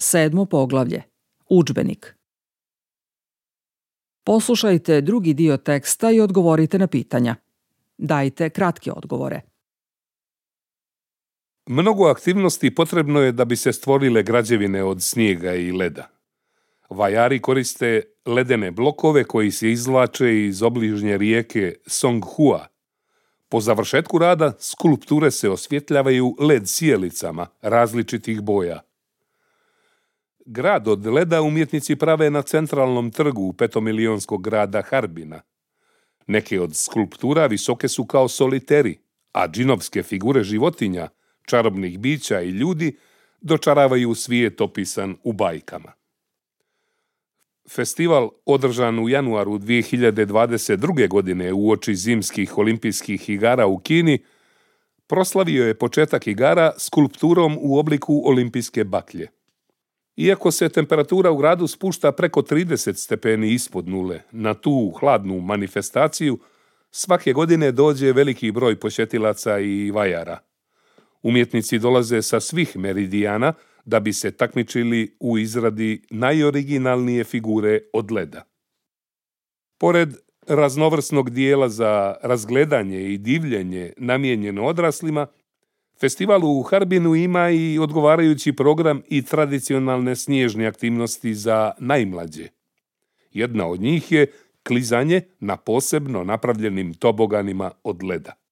7. poglavlje. Udžbenik. Poslušajte drugi dio teksta i odgovorite na pitanja. Dajte kratke odgovore. Mnogo aktivnosti potrebno je da bi se stvorile građevine od snijega i leda. Vajari koriste ledene blokove koji se izvlače iz obližnje rijeke Songhua. Po završetku rada skulpture se osvjetljavaju led sjelicama različitih boja. Grad od leda umjetnici prave na centralnom trgu petomilijonskog grada Harbina. Neke od skulptura visoke su kao soliteri, a džinovske figure životinja, čarobnih bića i ljudi dočaravaju svijet opisan u bajkama. Festival održan u januaru 2022. godine uoči zimskih olimpijskih igara u Kini proslavio je početak igara skulpturom u obliku olimpijske baklje. Iako se temperatura u gradu spušta preko 30 stepeni ispod nule, na tu hladnu manifestaciju svake godine dođe veliki broj posjetilaca i vajara. Umjetnici dolaze sa svih meridijana da bi se takmičili u izradi najoriginalnije figure od leda. Pored raznovrsnog dijela za razgledanje i divljenje namijenjeno odraslima, festival u Harbinu ima i odgovarajući program i tradicionalne snježne aktivnosti za najmlađe. Jedna od njih je klizanje na posebno napravljenim toboganima od leda.